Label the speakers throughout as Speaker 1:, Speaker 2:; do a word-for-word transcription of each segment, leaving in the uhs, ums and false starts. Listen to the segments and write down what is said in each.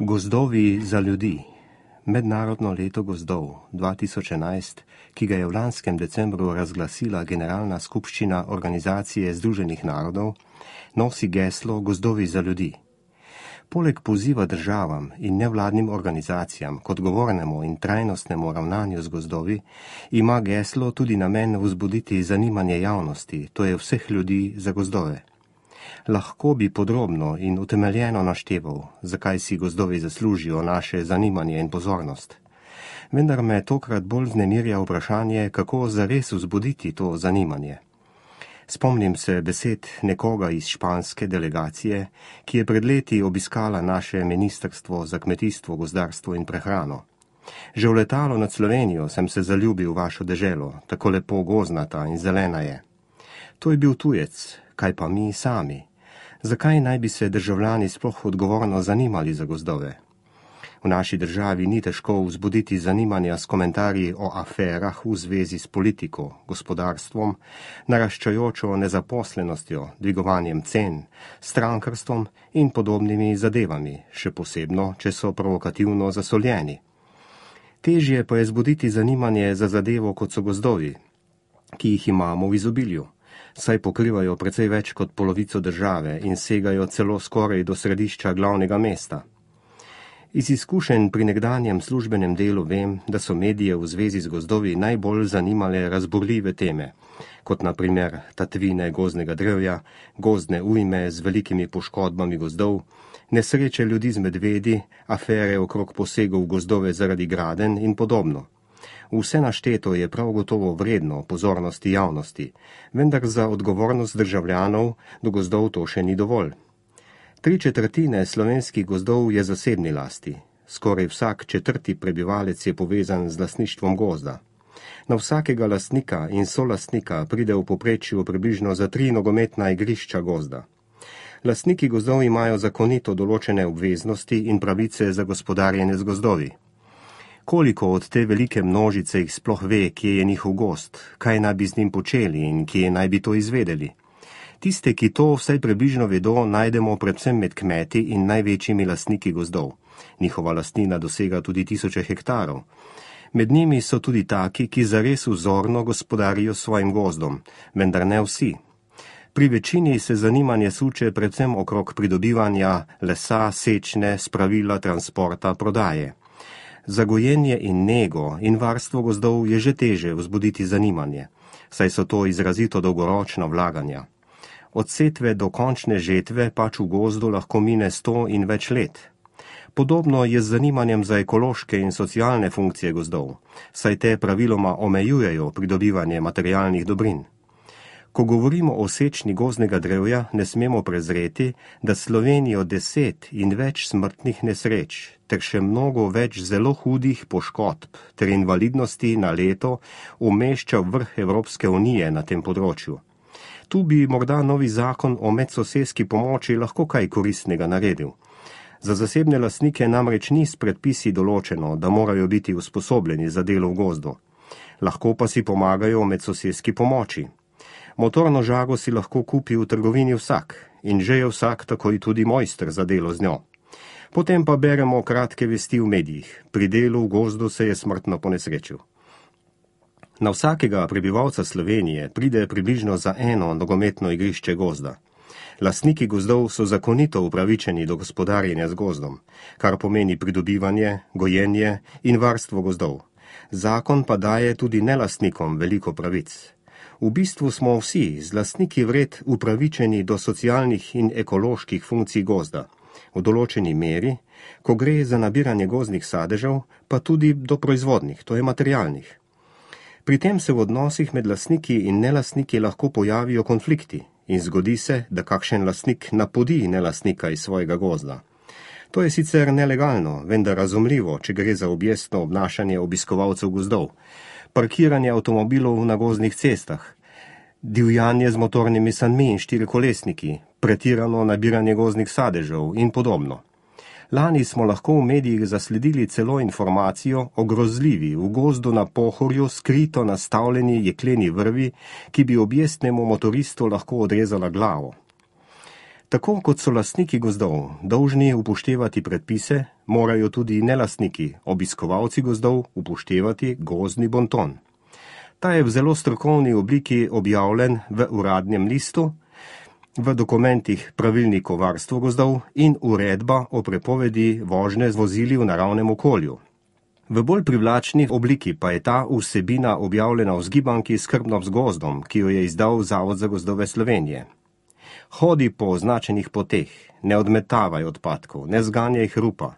Speaker 1: Gozdovi za ljudi. Mednarodno leto gozdov dva tisoč enajst, ki ga je v lanskem decembru razglasila Generalna skupščina Organizacije združenih narodov, nosi geslo Gozdovi za ljudi. Poleg poziva državam in nevladnim organizacijam k odgovornemu in trajnostnemu ravnanju z gozdovi, ima geslo tudi namen vzbuditi zanimanje javnosti, to je vseh ljudi, za gozdove. Lahko bi podrobno in utemeljeno našteval, zakaj si gozdovi zaslužijo naše zanimanje in pozornost. Vendar me tokrat bolj vznemirja vprašanje, kako zares vzbuditi to zanimanje. Spomnim se besed nekoga iz španske delegacije, ki je pred leti obiskala naše ministrstvo za kmetijstvo, gozdarstvo in prehrano. Že v letalo nad Slovenijo sem se zaljubil v vašo deželo, tako lepo gozdnata in zelena je. To je bil tujec, kaj pa mi sami? Zakaj naj bi se državljani sploh odgovorno zanimali za gozdove? V naši državi ni težko vzbuditi zanimanja s komentarji o aferah v zvezi s politiko, gospodarstvom, naraščajočo nezaposlenostjo, dvigovanjem cen, strankarstvom in podobnimi zadevami, še posebno, če so provokativno zasoljeni. Težje pa je zbuditi zanimanje za zadevo, kot so gozdovi, ki jih imamo v izobilju, saj pokrivajo precej več kot polovico države in segajo celo skoraj do središča glavnega mesta. Iz izkušenj pri nekdanjem službenem delu vem, da so medije v zvezi z gozdovi najbolj zanimale razburljive teme, kot na primer tatvine gozdnega drevja, gozdne ujme z velikimi poškodbami gozdov, nesreče ljudi z medvedi, afere okrog posegov v gozdove zaradi gradenj in podobno. Vse našteto je prav gotovo vredno pozornosti javnosti, vendar za odgovornost državljanov do gozdov to še ni dovolj. Tri četrtine slovenskih gozdov je zasebni lasti. Skoraj vsak četrti prebivalec je povezan z lastništvom gozda. Na vsakega lastnika in solastnika pride v povprečju približno za tri nogometna igrišča gozda. Lastniki gozdov imajo zakonito določene obveznosti in pravice za gospodarjenje z gozdovi. Koliko od te velike množice jih sploh ve, kje je njihov gozd, kaj naj bi z njim počeli in kje naj bi to izvedeli? Tiste, ki to vsaj približno vedo, najdemo predvsem med kmeti in največjimi lastniki gozdov. Njihova lastnina dosega tudi tisoče hektarov. Med njimi so tudi taki, ki zares vzorno gospodarijo s svojim gozdom, vendar ne vsi. Pri večini se zanimanje suče predvsem okrog pridobivanja lesa, sečne, spravila, transporta, prodaje. Za gojenje in nego in varstvo gozdov je že teže vzbuditi zanimanje, saj so to izrazito dolgoročna vlaganja. Od setve do končne žetve pač v gozdu lahko mine sto in več let. Podobno je z zanimanjem za ekološke in socialne funkcije gozdov, saj te praviloma omejujejo pridobivanje materialnih dobrin. Ko govorimo o sečni gozdnega drevja, ne smemo prezreti, da Slovenijo deset in več smrtnih nesreč ter še mnogo več zelo hudih poškodb ter invalidnosti na leto umešča v vrh Evropske unije na tem področju. Tu bi morda novi zakon o medsosedski pomoči lahko kaj koristnega naredil. Za zasebne lastnike namreč ni s predpisi določeno, da morajo biti usposobljeni za delo v gozdu. Lahko pa si pomagajo v medsosedski pomoči. Motorno žago si lahko kupi v trgovini vsak in že je vsak takoj tudi mojster za delo z njo. Potem pa beremo kratke vesti v medijih. Pri delu v gozdu se je smrtno ponesrečil. Na vsakega prebivalca Slovenije pride približno za eno nogometno igrišče gozda. Lastniki gozdov so zakonito upravičeni do gospodarjenja z gozdom, kar pomeni pridobivanje, gojenje in varstvo gozdov. Zakon pa daje tudi nelastnikom veliko pravic. V bistvu smo vsi z lastniki vred upravičeni do socialnih in ekoloških funkcij gozda. V določeni meri, ko gre za nabiranje gozdnih sadežev, pa tudi do proizvodnih, to je materialnih. Pri tem se v odnosih med lastniki in nelastniki lahko pojavijo konflikti in zgodi se, da kakšen lastnik napodi nelastnika iz svojega gozda. To je sicer nelegalno, vendar razumljivo, če gre za objestno obnašanje obiskovalcev gozdov, parkiranje avtomobilov na gozdnih cestah, divjanje z motornimi sanmi in štirikolesniki, pretirano nabiranje gozdnih sadežev in podobno. Lani smo lahko v medijih zasledili celo informacijo o grozljivi v gozdu na Pohorju skrito nastavljeni jekleni vrvi, ki bi objestnemu motoristu lahko odrezala glavo. Tako kot so lastniki gozdov dolžni upoštevati predpise, morajo tudi nelastniki, obiskovalci gozdov, upoštevati gozdni bonton. Ta je v zelo strokovni obliki objavljen v uradnem listu, v dokumentih pravilnik o varstvu gozdov in uredba o prepovedi vožnje z vozili v naravnem okolju. V bolj privlačni obliki pa je ta vsebina objavljena v zgibanki Skrbno z gozdom, ki jo je izdal Zavod za gozdove Slovenije. Hodi po označenih poteh, ne odmetavaj odpadkov, ne zganjaj hrupa,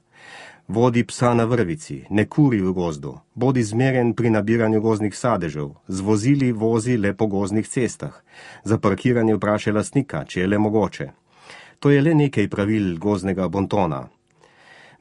Speaker 1: vodi psa na vrvici, ne kuri v gozdu, bodi zmeren pri nabiranju gozdnih sadežev, z vozili vozi le po gozdnih cestah, za parkiranje vprašaj lastnika, če je le mogoče. To je le nekaj pravil gozdnega bontona.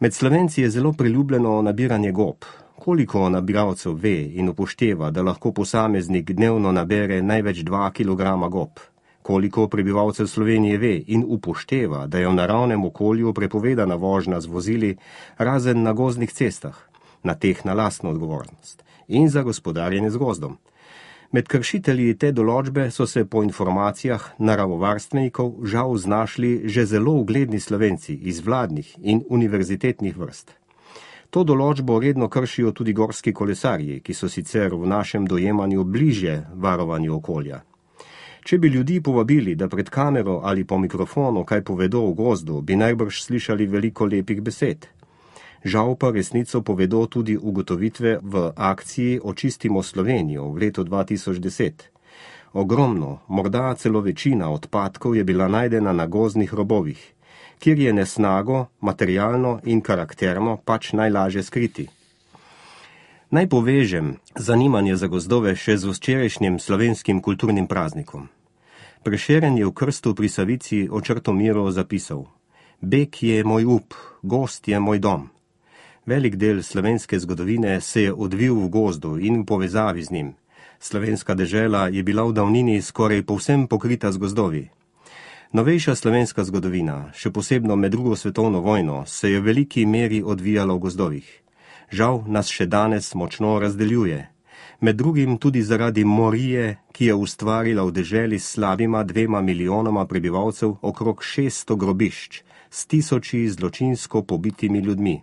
Speaker 1: Med Slovenci je zelo priljubljeno nabiranje gob. Koliko nabiralcev ve in upošteva, da lahko posameznik dnevno nabere največ dva kilograma gob? Koliko prebivalcev Slovenije ve in upošteva, da je v naravnem okolju prepovedana vožnja z vozili, razen na gozdnih cestah, na teh na lastno odgovornost in za gospodarjenje z gozdom? Med kršitelji te določbe so se po informacijah naravovarstvenikov žal znašli že zelo ugledni Slovenci iz vladnih in univerzitetnih vrst. To določbo redno kršijo tudi gorski kolesarji, ki so sicer v našem dojemanju bližje varovanju okolja. Če bi ljudi povabili, da pred kamero ali po mikrofonu kaj povedo o gozdu, bi najbrž slišali veliko lepih besed. Žal pa resnico povedo tudi ugotovitve v akciji Očistimo Slovenijo v letu dva tisoč deset. Ogromno, morda celo večina odpadkov je bila najdena na gozdnih robovih, kjer je nesnago, materialno in karakterno pač najlažje skriti. Naj povežem zanimanje za gozdove še z včerajšnjim slovenskim kulturnim praznikom. Prešeren je v krstu pri Savici o Črtomiru zapisal: Beg je moj up, gozd je moj dom. Velik del slovenske zgodovine se je odvil v gozdu in v povezavi z njim. Slovenska dežela je bila v davnini skoraj povsem pokrita z gozdovi. Novejša slovenska zgodovina, še posebno med drugo svetovno vojno, se je v veliki meri odvijala v gozdovih. Žal nas še danes močno razdeljuje. Med drugim tudi zaradi morije, ki je ustvarila v deželi s slabima dvema milijonoma prebivalcev okrog šeststo grobišč s tisoči zločinsko pobitimi ljudmi.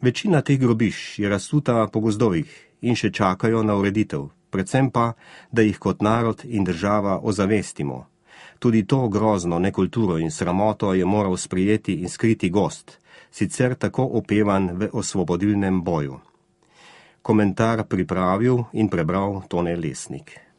Speaker 1: Večina teh grobišč je razsuta po gozdovih in še čakajo na ureditev, predvsem pa, da jih kot narod in država ozavestimo. Tudi to grozno nekulturo in sramoto je moral sprijeti in skriti gozd, sicer tako opevan v osvobodilnem boju. Komentar pripravil in prebral Tone Lesnik.